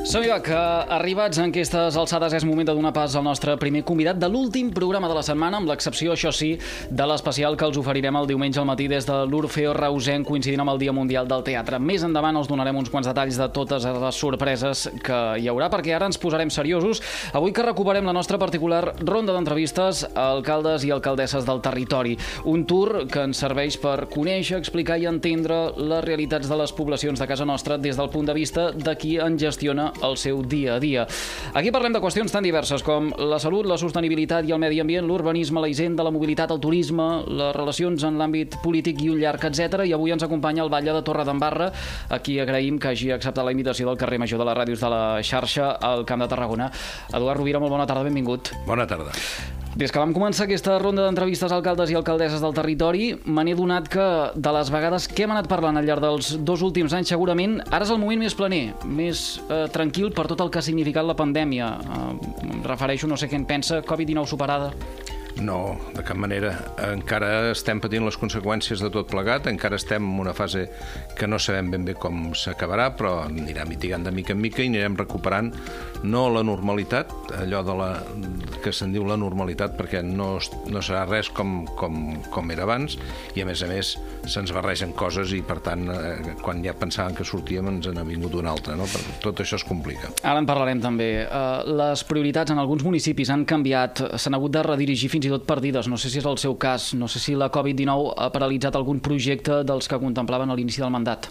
Som-hi, que arribats en aquestes alçades és moment de donar pas al nostre primer convidat de l'últim programa de la setmana, amb l'excepció, això sí, de l'especial que els oferirem el diumenge al matí des de l'Orfeó Reusenc, coincidint amb el Dia Mundial del Teatre. Més endavant us donarem uns quants detalls de totes les sorpreses que hi haurà, perquè ara ens posarem seriosos. Avui que recuperem la nostra particular ronda d'entrevistes a alcaldes i alcaldesses del territori. Un tour que ens serveix per conèixer, explicar i entendre les realitats de les poblacions de casa nostra des del punt de vista de qui en gestiona el seu dia a dia. Aquí parlem de qüestions tan diverses com la salut, la sostenibilitat i el medi ambient, l'urbanisme, la hisenda, la mobilitat, el turisme, les relacions en l'àmbit polític i un llarg, etc. I avui ens acompanya el batlle de Torredembarra, a qui agraïm que hagi acceptat la invitació del carrer Major de les Ràdios de la xarxa al Camp de Tarragona. Eduard Rovira, molt bona tarda, benvingut. Bona tarda. Des que vam començar aquesta ronda d'entrevistes a alcaldes i alcaldesses del territori, me n'he donat que de les vegades que hem anat parlant al llarg dels 2 últims anys, segurament ara és el moment més planer, més tranquil per tot el que ha significat la pandèmia. Em refereixo, no sé què en pensa, Covid-19 superada? No, de cap manera. Encara estem patint les conseqüències de tot plegat, encara estem en una fase que no sabem ben bé com s'acabarà, però anirà mitigant de mica en mica i anirem recuperant no la normalitat, allò que se'n diu la normalitat, perquè no serà res com era abans, i a més se'ns barregen coses i per tant quan ja pensàvem que sortíem ens n'ha vingut una altra, no? Tot això es complica. Ara en parlarem també. Les prioritats en alguns municipis han canviat, s'han hagut de redirigir fins i tot perdides. No sé si és el seu cas, no sé si la Covid-19 ha paralitzat algun projecte dels que contemplaven a l'inici del mandat.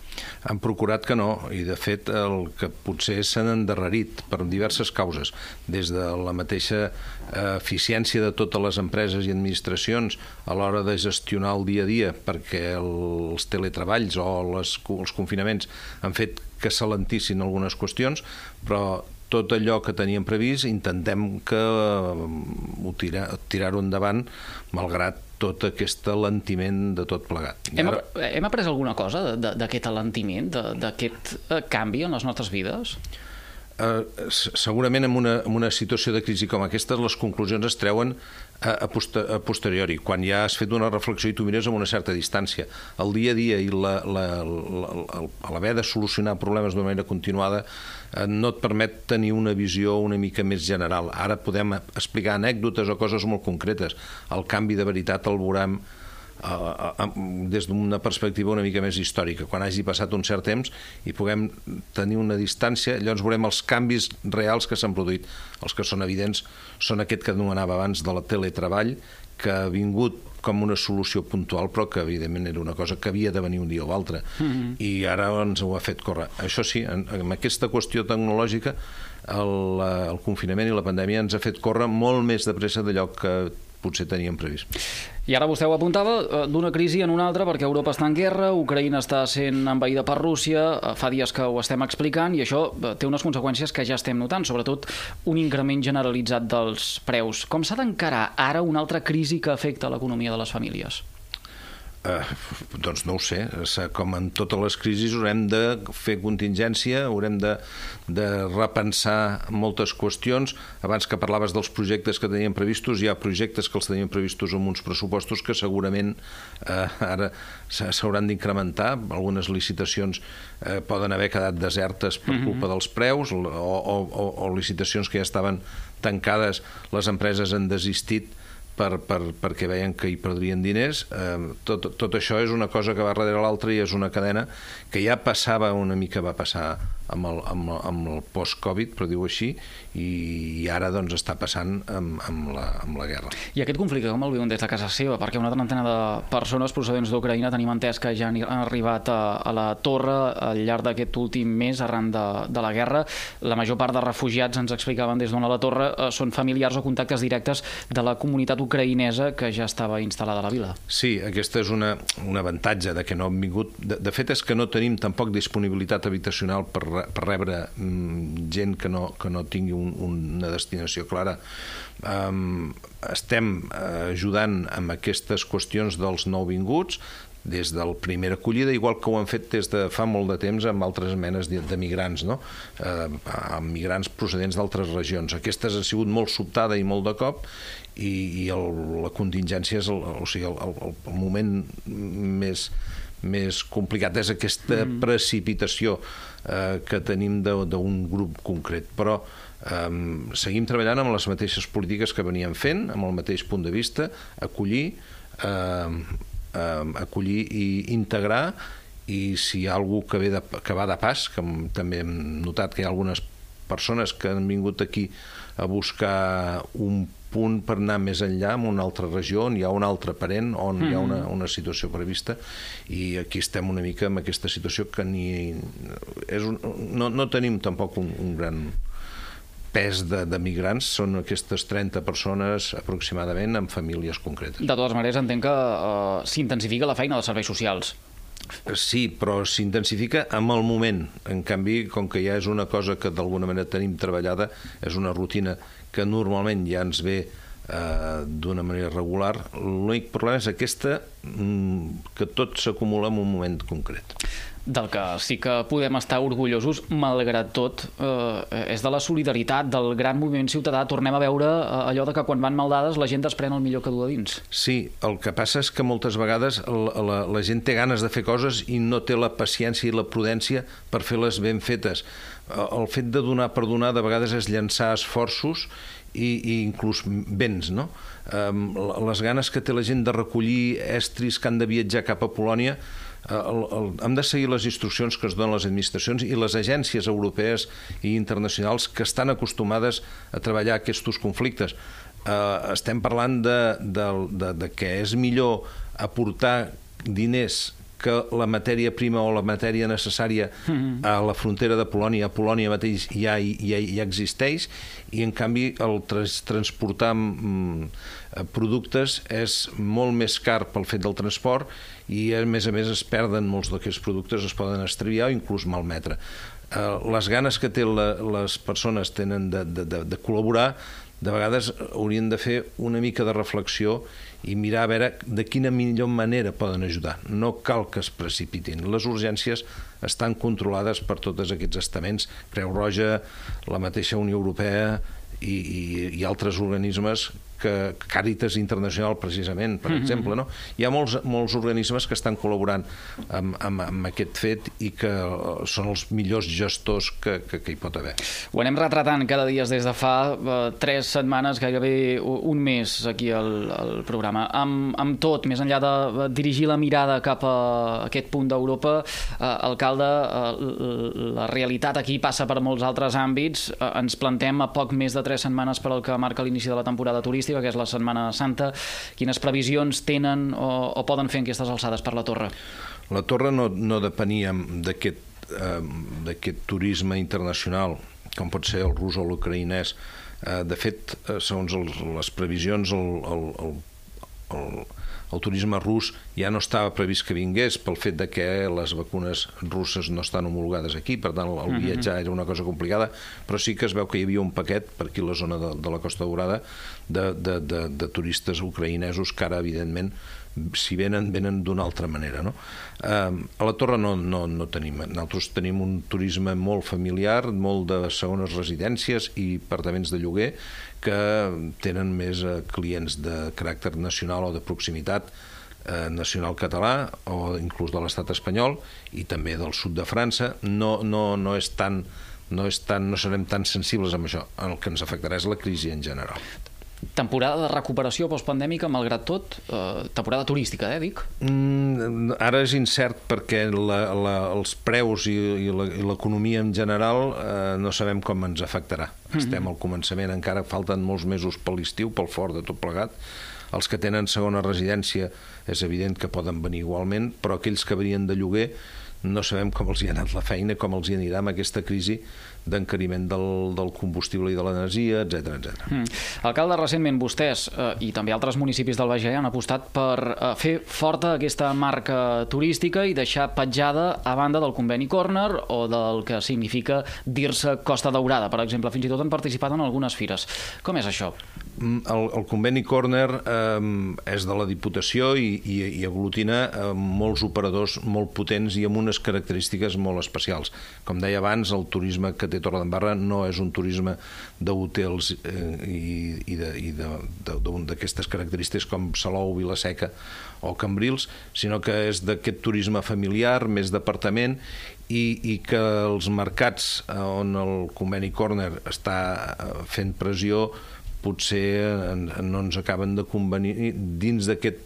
Han procurat que no, i de fet el que potser s'han endarrerit per diverses causes, des de la mateixa eficiència de totes les empreses i administracions a l'hora de gestionar el dia a dia, perquè els teletreballs o els confinaments han fet que s'alentissin algunes qüestions, però tot allò que teníem previst intentem que tirar-ho endavant malgrat tot aquest alentiment de tot plegat. Hem après alguna cosa d'aquest alentiment, d'aquest canvi en les nostres vides? Segurament en una situació de crisi com aquesta les conclusions es treuen a posteriori, quan ja has fet una reflexió i tu mires amb una certa distància. El dia a dia i l'haver de solucionar problemes d'una manera continuada no et permet tenir una visió una mica més general. Ara podem explicar anècdotes o coses molt concretes. El canvi de veritat el veurem des d'una perspectiva una mica més històrica, quan hagi passat un cert temps i puguem tenir una distància, llavors veurem els canvis reals que s'han produït. Els que són evidents són aquest que anomenava abans de la teletreball, que ha vingut com una solució puntual, però que evidentment era una cosa que havia de venir un dia o altre, i ara ens ho ha fet córrer. Això sí, amb aquesta qüestió tecnològica el confinament i la pandèmia ens ha fet córrer molt més de pressa d'allò que potser teníem previst. I ara vostè ho apuntava, d'una crisi en una altra, perquè Europa està en guerra, Ucraïna està sent envaïda per Rússia, fa dies que ho estem explicant, i això té unes conseqüències que ja estem notant, sobretot un increment generalitzat dels preus. Com s'ha d'encarar ara una altra crisi que afecta l'economia de les famílies? Doncs no ho sé, com en totes les crisis haurem de fer contingència, haurem de repensar moltes qüestions. Abans que parlaves dels projectes que teníem previstos, hi ha projectes que els teníem previstos amb uns pressupostos que segurament ara s'hauran d'incrementar. Algunes licitacions poden haver quedat desertes per culpa dels preus o licitacions que ja estaven tancades, les empreses han desistit perquè veien que hi perdrien diners. Tot això és una cosa que va darrere l'altra i és una cadena que ja passava una mica, va passar amb el post-Covid, però diu així, i ara doncs està passant amb la guerra. I aquest conflicte com el viuen des de casa seva? Perquè una trentena de persones procedents d'Ucraïna tenim entès que ja han arribat a la torre al llarg d'aquest últim mes arran de la guerra. La major part de refugiats, ens explicaven des d'on a la torre, són familiars o contactes directes de la comunitat ucraïnesa que ja estava instal·lada a la vila. Sí, aquesta és un avantatge de que no han vingut. De fet, és que no tenim tampoc disponibilitat habitacional per rebre gent que no tingui una destinació clara. Estem ajudant amb aquestes qüestions dels nouvinguts des de la primera acollida, igual que ho han fet des de fa molt de temps amb altres menes de migrants, no? Amb migrants procedents d'altres regions. Aquestes han sigut molt sobtada i molt de cop, i la contingència és el moment més complicat. És aquesta precipitació que tenim d'un grup concret. Però seguim treballant amb les mateixes polítiques que veníem fent, amb el mateix punt de vista, acollir i integrar, i si hi ha algú que va de pas, que també hem notat que hi ha algunes persones que han vingut aquí a buscar un punt per anar més enllà en una altra regió on hi ha un altre parent, on hi ha una situació prevista, i aquí estem una mica en aquesta situació que no tenim tampoc un gran pes de migrants, són aquestes 30 persones aproximadament amb famílies concretes. De totes maneres, entenc que s'intensifica la feina dels serveis socials. Sí, però s'intensifica amb el moment. En canvi, com que ja és una cosa que d'alguna manera tenim treballada, és una rutina que normalment ja ens ve d'una manera regular, l'únic problema és aquesta, que tot s'acumula en un moment concret. Del que sí que podem estar orgullosos, malgrat tot, és de la solidaritat, del gran moviment ciutadà. Tornem a veure allò de que quan van mal dades la gent desprèn el millor que du a dins. Sí, el que passa és que moltes vegades la gent té ganes de fer coses i no té la paciència i la prudència per fer-les ben fetes. El fet de donar per donar de vegades és llançar esforços i inclús béns, no? Les ganes que té la gent de recollir estris que han de viatjar cap a Polònia, hem de seguir les instruccions que es donen les administracions i les agències europees i internacionals que estan acostumades a treballar aquests conflictes. Estem parlant de que és millor aportar diners que la matèria prima o la matèria necessària a la frontera de Polònia, a Polònia mateix ja existeix, i en canvi el transportar productes és molt més car pel fet del transport, i a més es perden molts d'aquests productes, es poden extraviar o inclús malmetre. Les ganes que les persones tenen de col·laborar, de vegades haurien de fer una mica de reflexió i mirar a veure de quina millor manera poden ajudar. No cal que es precipitin. Les urgències estan controlades per tots aquests estaments, Creu Roja, la mateixa Unió Europea i altres organismes, Càritas Internacional, precisament, per exemple, no? Hi ha molts organismes que estan col·laborant amb aquest fet i que són els millors gestors que hi pot haver. Ho anem retratant cada dia des de fa 3 setmanes, gairebé un mes, aquí al programa. Amb tot, més enllà de dirigir la mirada cap a aquest punt d'Europa, alcalde, la realitat aquí passa per molts altres àmbits. Ens plantem a poc més de 3 setmanes per al que marca l'inici de la temporada turística, que és la Setmana Santa. Quines previsions tenen o poden fer en aquestes alçades per la Torre? La Torre no depenia d'aquest turisme internacional, com pot ser el rus o l'ucraïnès. De fet, segons les previsions, el turisme rus ja no estava previst que vingués pel fet de que les vacunes russes no estan homologades aquí, per tant el viatjar era una cosa complicada, però sí que es veu que hi havia un paquet per aquí a la zona de la Costa Daurada de turistes ucraïnesos que ara, evidentment, si venen d'una altra manera, no? A la Torre no tenim. Nosaltres tenim un turisme molt familiar, molt de segones residències i apartaments de lloguer que tenen més clients de caràcter nacional o de proximitat, nacional català o inclús de l'estat espanyol i també del sud de França. No serem tan sensibles amb això. El que ens afectarà és la crisi en general. Temporada de recuperació postpandèmica, malgrat tot, temporada turística, dic? Ara és incert perquè els preus i l'economia en general no sabem com ens afectarà. Estem al començament, encara falten molts mesos per l'estiu, pel fort de tot plegat. Els que tenen segona residència és evident que poden venir igualment, però aquells que venien de lloguer no sabem com els hi ha anat la feina, com els hi anirà amb aquesta crisi d'encariment del combustible i de l'energia, etc. Alcalde, recentment vostès i també altres municipis del Baix Allà han apostat per fer forta aquesta marca turística i deixar petjada a banda del conveni Corner o del que significa dir-se Costa Daurada, per exemple. Fins i tot han participat en algunes fires. Com és això? El conveni Corner és de la Diputació i aglutina molts operadors molt potents i amb unes característiques molt especials. Com deia abans, el turisme que té Torredembarra no és un turisme d'hotels i d'aquestes característiques com Salou, Vila-seca o Cambrils, sinó que és d'aquest turisme familiar, més d'apartament, i que els mercats on el conveni Corner està fent pressió potser no ens acaben de convenir dins d'aquest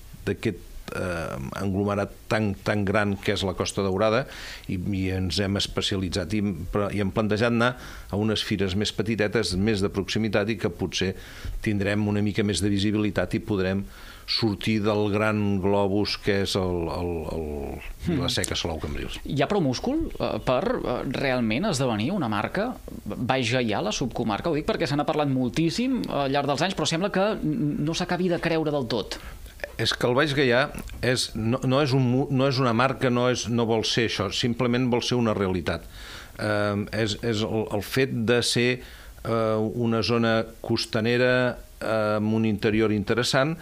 englomerat tan gran que és la Costa Daurada, i ens hem especialitzat i hem plantejat anar a unes fires més petitetes, més de proximitat, i que potser tindrem una mica més de visibilitat i podrem sortir del gran globus que és la seca Salou Cambrils. Hi ha prou múscul per realment esdevenir una marca Baix Gaià, la subcomarca? Ho dic perquè se n'ha parlat moltíssim al llarg dels anys, però sembla que no s'acabi de creure del tot. És que el Baix Gaià no és una marca, no vol ser això, simplement vol ser una realitat. És el fet de ser una zona costanera amb un interior interessant,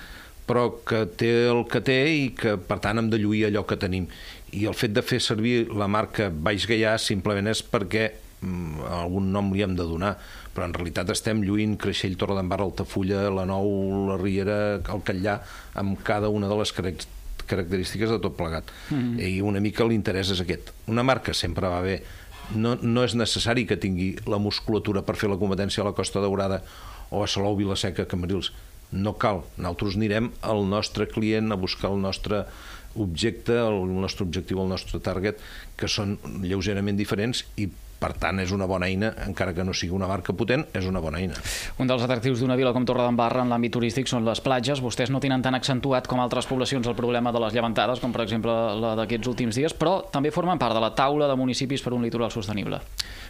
però que té el que té i que, per tant, hem de lluir allò que tenim. I el fet de fer servir la marca Baix Gaià simplement és perquè algun nom li hem de donar, però en realitat estem lluint Creixell, Torredembarra, Altafulla, la Nou, la Riera, el Catllà, amb cada una de les característiques de tot plegat. I una mica l'interès és aquest. Una marca sempre va bé. No és necessari que tingui la musculatura per fer la competència a la Costa Daurada o a Salou, Vila-seca, Cambrils. No cal. Nosaltres anirem al nostre client a buscar el nostre objecte, el nostre objectiu, el nostre target, que són lleugerament diferents i, per tant, és una bona eina, encara que no sigui una marca potent, és una bona eina. Un dels atractius d'una vila com Torredembarra en l'àmbit turístic són les platges. Vostès no tenen tan accentuat com altres poblacions el problema de les llevantades, com per exemple la d'aquests últims dies, però també formen part de la taula de municipis per un litoral sostenible.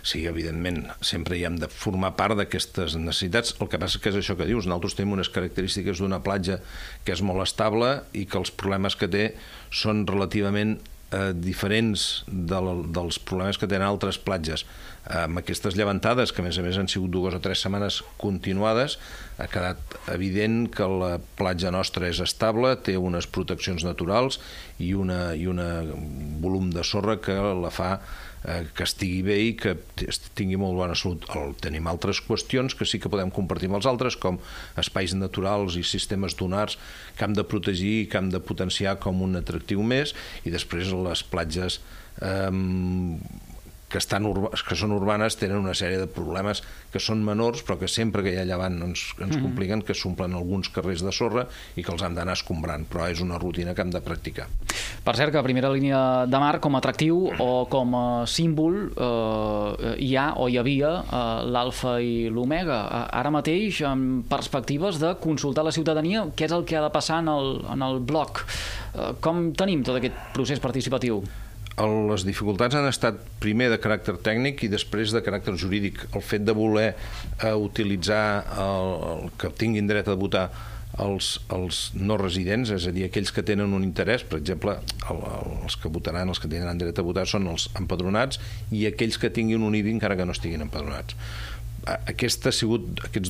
Sí, evidentment, sempre hi hem de formar part d'aquestes necessitats. El que passa que és això que dius, nosaltres tenim unes característiques d'una platja que és molt estable i que els problemes que té són relativament diferents dels problemes que tenen altres platges. Amb aquestes llevantades, que a més han sigut 2 o 3 setmanes continuades, ha quedat evident que la platja nostra és estable, té unes proteccions naturals i un volum de sorra que la fa que estigui bé i que tingui molt bona salut. Tenim altres qüestions que sí que podem compartir amb els altres, com espais naturals i sistemes dunars que hem de protegir i que hem de potenciar com un atractiu més, i després les platges que són urbanes tenen una sèrie de problemes que són menors, però que sempre que hi ha llevant ens compliquen, que s'omplen alguns carrers de sorra i que els hem d'anar escombrant, però és una rutina que hem de practicar. Per cert, que a primera línia de mar, com a atractiu o com a símbol, hi ha o hi havia l'alfa i l'omega. Ara mateix, amb perspectives de consultar la ciutadania què és el que ha de passar en el bloc. Com tenim tot aquest procés participatiu? Les dificultats han estat primer de caràcter tècnic i després de caràcter jurídic. El fet de voler utilitzar que tinguin dret a votar els no residents, és a dir, aquells que tenen un interès, per exemple, els que votaran, els que tindran dret a votar són els empadronats i aquells que tinguin un IBI encara que no estiguin empadronats. Aquests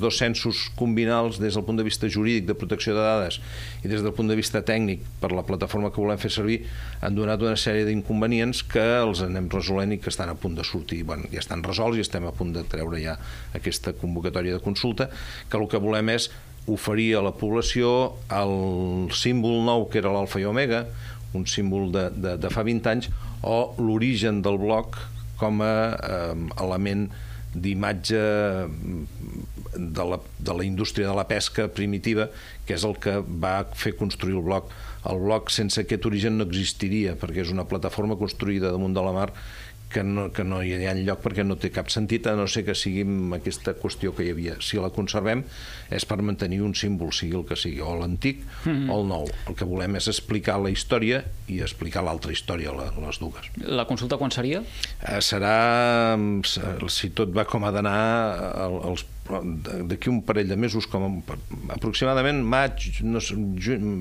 2 censos combinals des del punt de vista jurídic de protecció de dades i des del punt de vista tècnic per la plataforma que volem fer servir han donat una sèrie d'inconvenients que els anem resolent i que estan a punt de sortir. Ja estan resolts i estem a punt de treure ja aquesta convocatòria de consulta, que el que volem és oferir a la població el símbol nou que era l'alfa i omega, un símbol de fa 20 anys, o l'origen del bloc com a element d'imatge de la indústria de la pesca primitiva, que és el que va fer construir el bloc. El bloc sense aquest origen no existiria, perquè és una plataforma construïda damunt de la mar que no hi ha lloc perquè no té cap sentit, a no ser que sigui aquesta qüestió que hi havia. Si la conservem és per mantenir un símbol, sigui el que sigui, o l'antic o el nou. El que volem és explicar la història i explicar l'altra història, les dues. La consulta quan seria? Serà, si tot va com ha d'anar, d'aquí un parell de mesos, aproximadament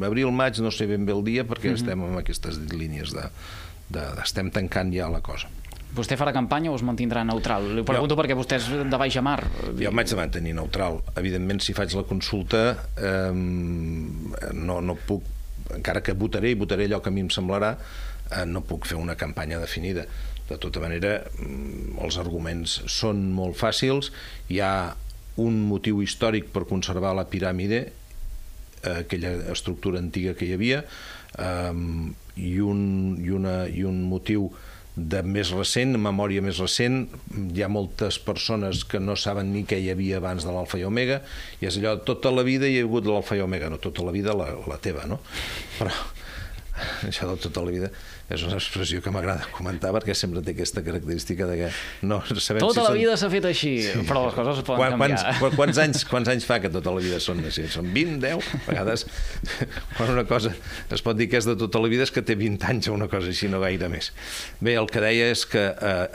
abril-maig, no sé ben bé el dia, perquè estem en aquestes línies estem tancant ja la cosa. Vostè farà campanya o es mantindrà neutral? Li pregunto perquè vostè és de baix a mar. Jo m'haig de mantenir neutral. Evidentment, si faig la consulta, no puc, encara que votaré allò que a mi em semblarà, no puc fer una campanya definida. De tota manera, els arguments són molt fàcils. Hi ha un motiu històric per conservar la piràmide, aquella estructura antiga que hi havia, i un motiu de més recent, memòria més recent. Hi ha moltes persones que no saben ni què hi havia abans de l'alfa i omega, i és allò, tota la vida hi ha hagut l'alfa i omega, no tota la vida la teva, no? Però això de tota la vida és una expressió que m'agrada comentar, perquè sempre té aquesta característica de que no sabem tota la vida s'ha fet així, però les coses es poden canviar. Quants anys fa que tota la vida són així? Són 20, 10? A vegades, quan una cosa es pot dir que és de tota la vida, és que té 20 anys o una cosa així, no gaire més. Bé, el que deia és que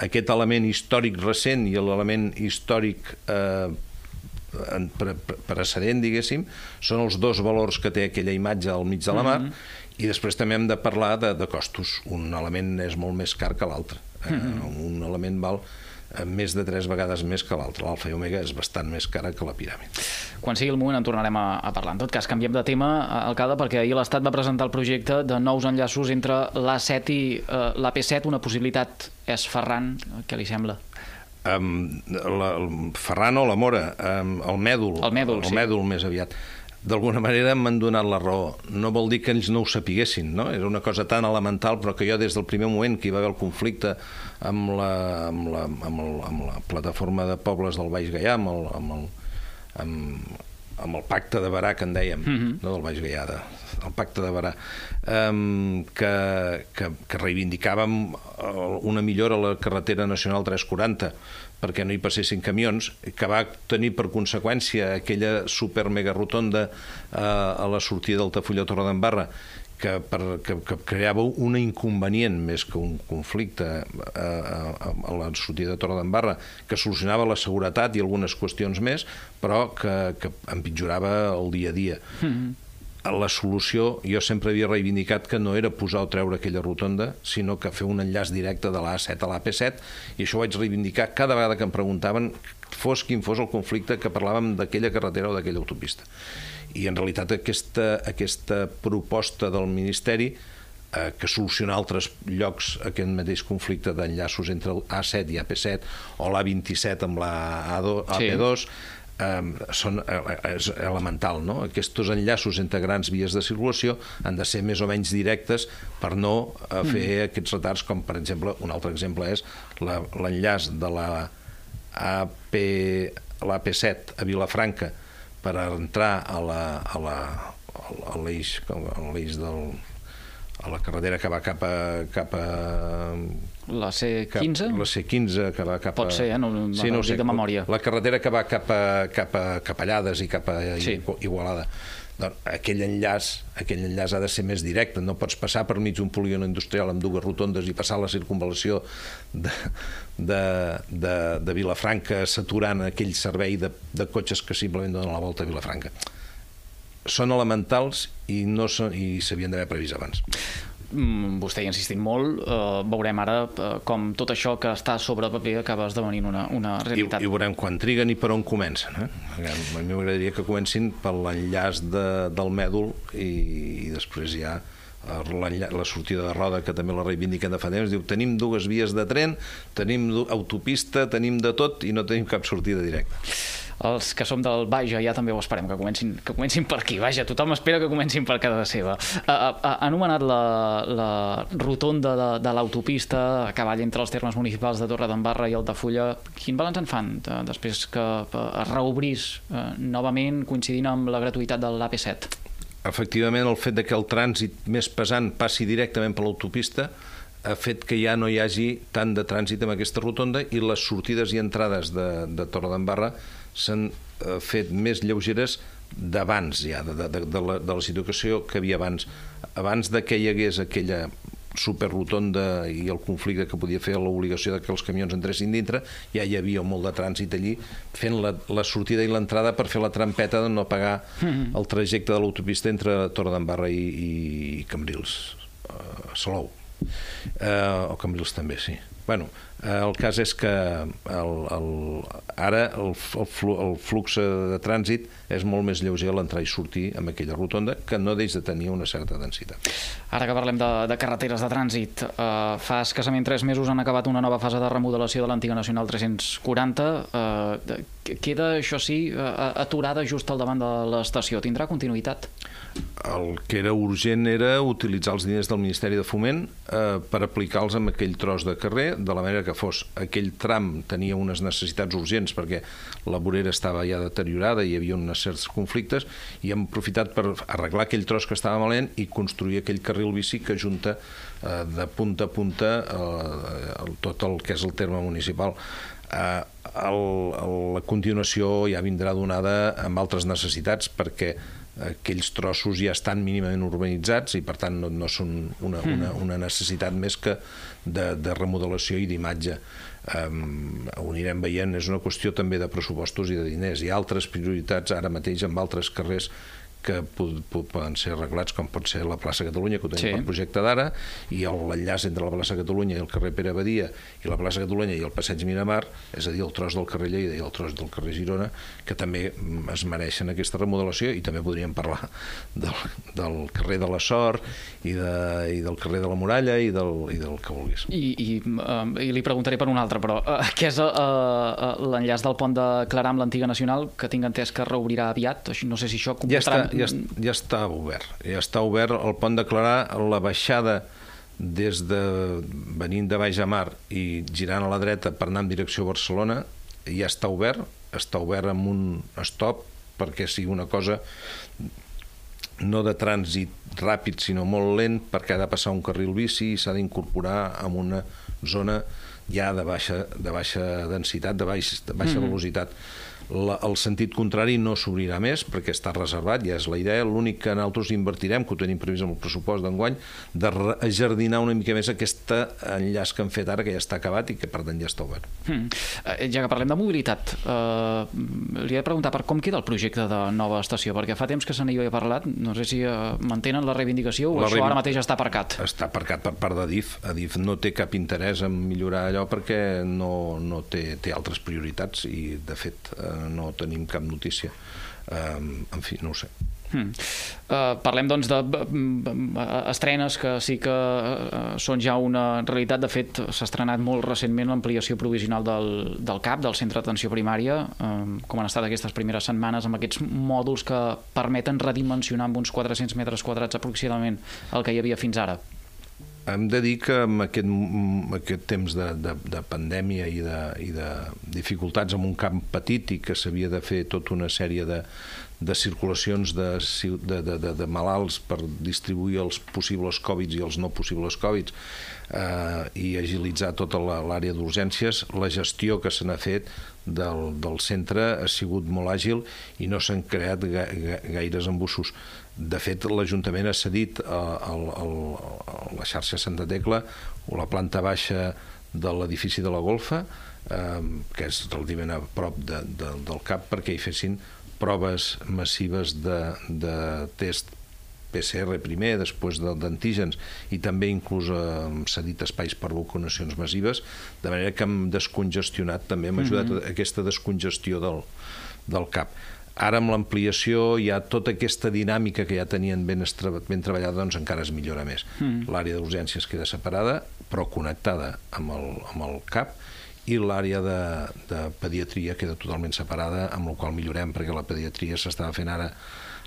aquest element històric recent i l'element històric precedent, diguéssim, són els dos valors que té aquella imatge al mig de la mar. I després també hem de parlar de costos. Un element és molt més car que l'altre. Un element val més de 3 vegades més que l'altre. L'alfa i omega és bastant més cara que la piràmide. Quan sigui el moment en tornarem a parlar. En tot cas, canviem de tema, alcalde, perquè ahir l'Estat va presentar el projecte de nous enllaços entre l'A7 i l'AP7. Una possibilitat és Ferran. Què li sembla? El Ferran o la Mora, el Mèdol. El Mèdol més aviat. D'alguna manera m'han donat la raó. No vol dir que ells no ho sapiguessin, no? Era una cosa tan elemental, però que jo des del primer moment que hi va haver el conflicte amb la plataforma de pobles del Baix Gaià, amb el pacte de Berà, que en dèiem, no del Baix Gaià, el pacte de Berà, que reivindicàvem una millora a la carretera nacional 340, perquè no hi passessin camions, que va tenir per conseqüència aquella super-mega rotonda a la sortida d'Altafulla a Torredembarra, que creava un inconvenient més que un conflicte a la sortida de Torredembarra, que solucionava la seguretat i algunes qüestions més, però que empitjorava el dia a dia. La solució, jo sempre havia reivindicat que no era posar o treure aquella rotonda, sinó que fer un enllaç directe de l'A7 a l'AP7, i això ho vaig reivindicar cada vegada que em preguntaven, fos quin fos el conflicte, que parlàvem d'aquella carretera o d'aquella autopista. I en realitat aquesta proposta del Ministeri, que soluciona altres llocs aquest mateix conflicte d'enllaços entre l'A7 i AP7 o l'A27 amb l'AP2, és elemental, no? Aquests enllaços entre grans vies de circulació han de ser més o menys directes per no fer aquests retards, com per exemple, un altre exemple és l'enllaç de l'AP7 a Vilafranca per entrar a l'eix a la carretera que va cap a la C15? La C15 que va cap a... Pot ser, no ho dic de memòria. La carretera que va cap a Llades i cap a Igualada. Doncs aquell enllaç ha de ser més directe. No pots passar per mig d'un polígon industrial amb dues rotondes i passar la circunvalació de Vilafranca saturant aquell servei de cotxes que simplement donen la volta a Vilafranca. Són elementals i s'havien d'haver previst abans. Vostè hi ha insistit molt. Veurem ara com tot això que està sobre paper acaba esdevenint una realitat. I veurem quan triguen i per on comencen. A mi m'agradaria que comencin per l'enllaç del Mèdol i després ja la sortida de Roda, que també la reivindiquen de fa temps. Diu, tenim dues vies de tren, tenim autopista, tenim de tot i no tenim cap sortida directa. Els que som del Baix ja també ho esperem, que comencin per aquí. Vaja, tothom espera que comencin per casa seva. Ha anomenat la rotonda de l'autopista a cavall entre els termes municipals de Torredembarra i Altafulla. Quin balanç en fan després que es reobrís novament coincidint amb la gratuïtat de l'AP7? Efectivament, el fet que el trànsit més pesant passi directament per l'autopista ha fet que ja no hi hagi tant de trànsit amb aquesta rotonda i les sortides i entrades de Torredembarra s'han fet més lleugeres d'abans ja, de la situació que havia abans. Abans que hi hagués aquella superrotonda i el conflicte que podia fer l'obligació que els camions entressin dintre, ja hi havia molt de trànsit allí fent la sortida i l'entrada per fer la trampeta de no pagar el trajecte de l'autopista entre Torredembarra i Cambrils, Salou. O Cambrils també, sí. Bueno, el cas és que ara el flux de trànsit és molt més lleuger a l'entrar i sortir amb aquella rotonda, que no deix de tenir una certa densitat. Ara que parlem de carreteres de trànsit, fa escassament 3 mesos han acabat una nova fase de remodelació de l'antiga Nacional 340. Queda, això sí, aturada just al davant de l'estació. Tindrà continuïtat? El que era urgent era utilitzar els diners del Ministeri de Foment per aplicar-los en aquell tros de carrer, de la manera que fos. Aquell tram tenia unes necessitats urgents perquè la vorera estava ja deteriorada i hi havia uns certs conflictes, i hem aprofitat per arreglar aquell tros que estava malament i construir aquell carril bici que junta de punta a punta tot el que és el terme municipal. La continuació ja vindrà donada amb altres necessitats, perquè aquells trossos ja estan mínimament urbanitzats i per tant no són una necessitat més que de remodelació i d'imatge. Ho anirem veient, és una qüestió també de pressupostos i de diners. Hi ha altres prioritats ara mateix amb altres carrers que poden ser arreglats, com pot ser la plaça Catalunya, que ho tenim per projecte d'ara, i l'enllaç entre la plaça Catalunya i el carrer Pere Badia, i la plaça Catalunya i el passeig Miramar, és a dir, el tros del carrer Lleida i el tros del carrer Girona, que també es mereixen aquesta remodelació, i també podríem parlar del carrer de la Sort i del carrer de la Muralla i del que vulguis. I li preguntaré per un altre, però què és l'enllaç del pont de Clarà amb l'antiga Nacional, que tinc entès que reobrirà aviat? No sé si això comportarà... Ja està obert. Ja està obert el pont de Clarà, la baixada venint de Baix a Mar i girant a la dreta per anar en direcció a Barcelona, ja està obert amb un stop perquè sigui una cosa no de trànsit ràpid, sinó molt lent, perquè ha de passar un carril bici i s'ha d'incorporar en una zona ja de baixa densitat, de baixa velocitat. El sentit contrari no s'obrirà més perquè està reservat, ja és la idea. L'únic que nosaltres invertirem, que ho tenim previst amb el pressupost d'enguany, de rejardinar una mica més aquest enllaç que han fet ara, que ja està acabat i que per tant ja està obert. Ja que parlem de mobilitat, li he de preguntar per com queda el projecte de nova estació, perquè fa temps que se n'hi havia parlat, no sé si mantenen la reivindicació o això ara mateix està aparcat. Està aparcat per part d'Adif. Adif no té cap interès en millorar allò perquè no té altres prioritats i de fet no tenim cap notícia. En fi, no ho sé. Parlem doncs d'estrenes que sí que són ja una realitat. De fet, s'ha estrenat molt recentment l'ampliació provisional del CAP, del Centre d'Atenció Primària. Com han estat aquestes primeres setmanes amb aquests mòduls que permeten redimensionar amb uns 400 metres quadrats aproximadament el que hi havia fins ara? Hem de dir que amb aquest temps de pandèmia i de dificultats en un camp petit i que s'havia de fer tota una sèrie de circulacions de malalts per distribuir els possibles Covid i els no possibles Covid i agilitzar tota l'àrea d'urgències, la gestió que se n'ha fet del centre ha sigut molt àgil i no s'han creat gaires embussos. De fet, l'Ajuntament ha cedit a la xarxa Santa Tecla o la planta baixa de l'edifici de la Golfa, que és relativament a prop del CAP, perquè hi fessin proves massives de test PCR primer, després d'antígens, i també inclús hem cedit espais per vacunacions massives, de manera que hem descongestionat, també hem ajudat a aquesta descongestió del CAP. Ara amb l'ampliació hi ha tota aquesta dinàmica que ja tenien ben treballada, doncs encara es millora més. L'àrea d'urgències queda separada, però connectada amb el CAP, i l'àrea de pediatria queda totalment separada, amb la qual millorem, perquè la pediatria s'estava fent ara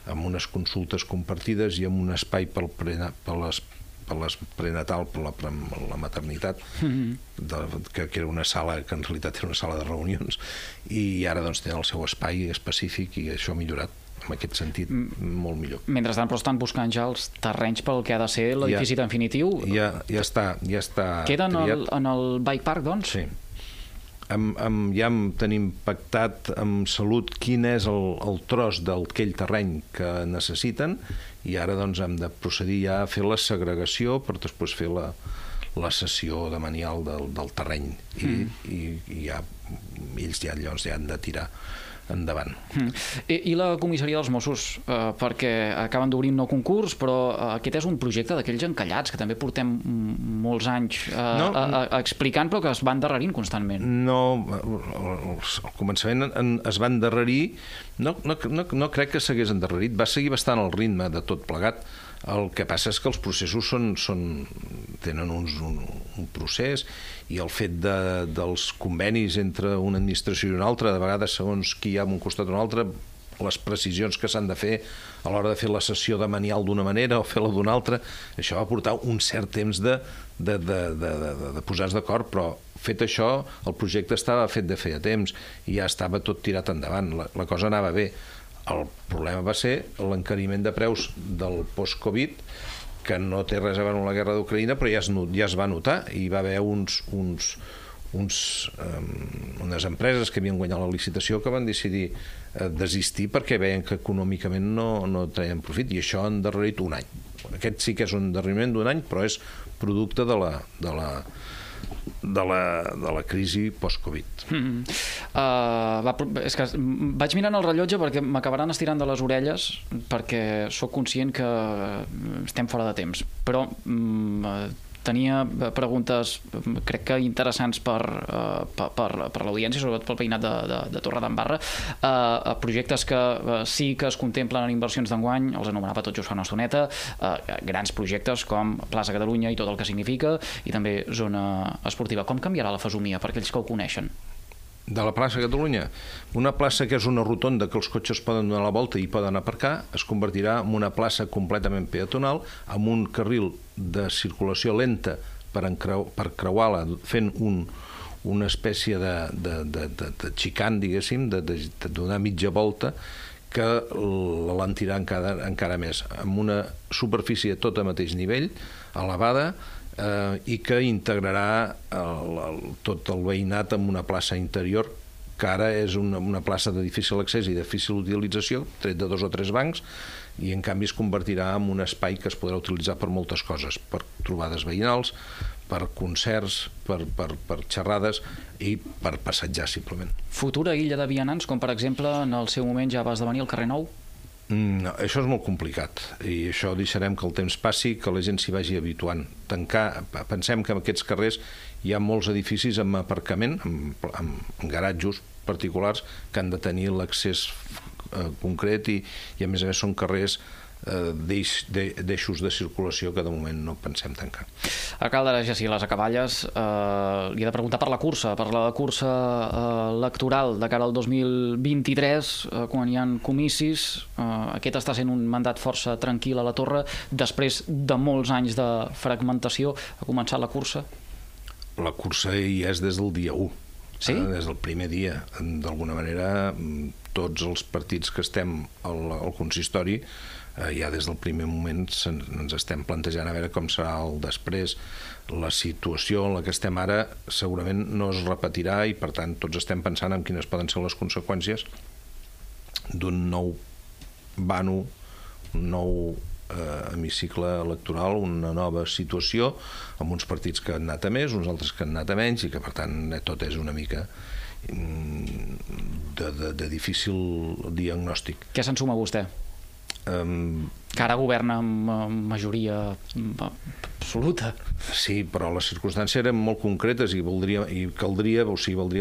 amb unes consultes compartides i amb un espai per les prenatal, per la maternitat, que era una sala que en realitat era una sala de reunions, i ara doncs tenen el seu espai específic i això ha millorat en aquest sentit molt millor. Mentrestant, però estan buscant ja els terrenys pel que ha de ser l'edifici definitiu? Ja està queda en el Bike Park, doncs? Sí. Ja tenim pactat amb Salut quin és el tros d'aquell terreny que necessiten i ara doncs hem de procedir ja a fer la segregació per després fer la cessió de manial del terreny i ells ja han de tirar endavant. I la comissaria dels Mossos, perquè acaben d'obrir un nou concurs, però aquest és un projecte d'aquells encallats que també portem molts anys explicant, però que es van endarrerint constantment. No, al començament es va endarrerir, no crec que s'hagués endarrerit, va seguir bastant el ritme de tot plegat. El que passa és que els processos tenen un procés, i el fet dels convenis entre una administració i una altra, de vegades segons qui hi ha un costat o un altre, les precisions que s'han de fer a l'hora de fer la sessió de manial d'una manera o fer-la d'una altra, això va portar un cert temps de posar-se d'acord, però fet això, el projecte estava fet de feia temps i ja estava tot tirat endavant, la cosa anava bé. El problema va ser l'encariment de preus del post-Covid, que no té res a veure amb la guerra d'Ucraïna, però ja es va notar, i va haver unes empreses que havien guanyat la licitació que van decidir desistir perquè veien que econòmicament no traien profit, i això ha endarrerit un any. Aquest sí que és un endarreriment d'un any, però és producte de la crisi post-Covid. És que vaig mirant el rellotge perquè m'acabaran estirant de les orelles, perquè sóc conscient que estem fora de temps, però tenia preguntes, crec que interessants per l'audiència, sobretot pel veïnat de Torredembarra, projectes que sí que es contemplen en inversions d'enguany, els anomenava tot just fa una estoneta, grans projectes com Plaça Catalunya i tot el que significa, i també zona esportiva. Com canviarà la fesomia per aquells que ho coneixen? De la plaça Catalunya, una plaça que és una rotonda que els cotxes poden donar la volta i poden aparcar, es convertirà en una plaça completament peatonal, amb un carril de circulació lenta per creuar-la, fent una espècie de xicant, diguéssim, de donar mitja volta, que l'alentirà encara més, amb una superfície tot a mateix nivell, elevada, i que integrarà tot el veïnat en una plaça interior que ara és una plaça de difícil accés i de difícil utilització, tret de 2 o 3 bancs, i en canvi es convertirà en un espai que es podrà utilitzar per moltes coses, per trobades veïnals, per concerts, per xerrades i per passejar, simplement. Futura illa de vianants, com per exemple en el seu moment ja va esdevenir el carrer Nou? No, això és molt complicat, i això deixarem que el temps passi, que la gent s'hi vagi habituant. Pensem que en aquests carrers hi ha molts edificis amb aparcament, amb garatjos particulars que han de tenir l'accés concret, i a més són carrers d'eixos de circulació que de moment no pensem tancar. Alcalde Jacir Les Acaballes, li he de preguntar per la cursa electoral de cara al 2023, quan hi ha comicis. Aquest està sent un mandat força tranquil a la Torre, després de molts anys de fragmentació. Ha començat la cursa? La cursa hi és des del dia 1. Sí? Des del primer dia. D'alguna manera, tots els partits que estem al consistori, ja des del primer moment ens estem plantejant a veure com serà el després. La situació en la que estem ara segurament no es repetirà, i per tant tots estem pensant en quines poden ser les conseqüències d'un nou vano, un nou hemicicle electoral, una nova situació, amb uns partits que han anat a més, uns altres que han anat a menys, i que per tant tot és una mica de difícil diagnòstic. Què se'n suma vostè? Que ara governa amb majoria absoluta. Sí, però les circumstàncies eren molt concretes i valdria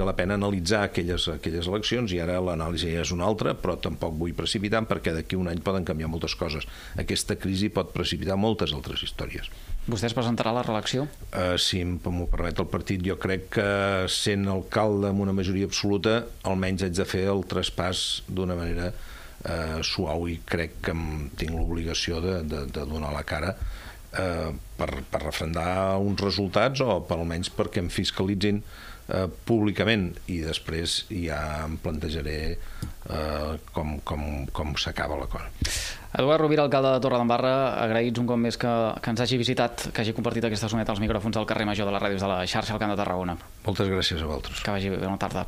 la pena analitzar aquelles eleccions, i ara l'anàlisi ja és una altra, però tampoc vull precipitar, perquè d'aquí un any poden canviar moltes coses. Aquesta crisi pot precipitar moltes altres històries. Vostè es presentarà a la reelecció? Si m'ho permet el partit, jo crec que sent alcalde amb una majoria absoluta, almenys haig de fer el traspàs d'una manera suau, i crec que tinc l'obligació de donar la cara per refrendar uns resultats, o per almenys perquè em fiscalitzin públicament, i després ja em plantejaré com s'acaba la cosa. Eduard Rovira, alcalde de Torredembarra, agraïts un cop més que ens hagi visitat, que hagi compartit aquesta soneta als micròfons del carrer Major de les ràdios de la xarxa al Camp de Tarragona. Moltes gràcies a vosaltres. Que vagi bé, bona tarda.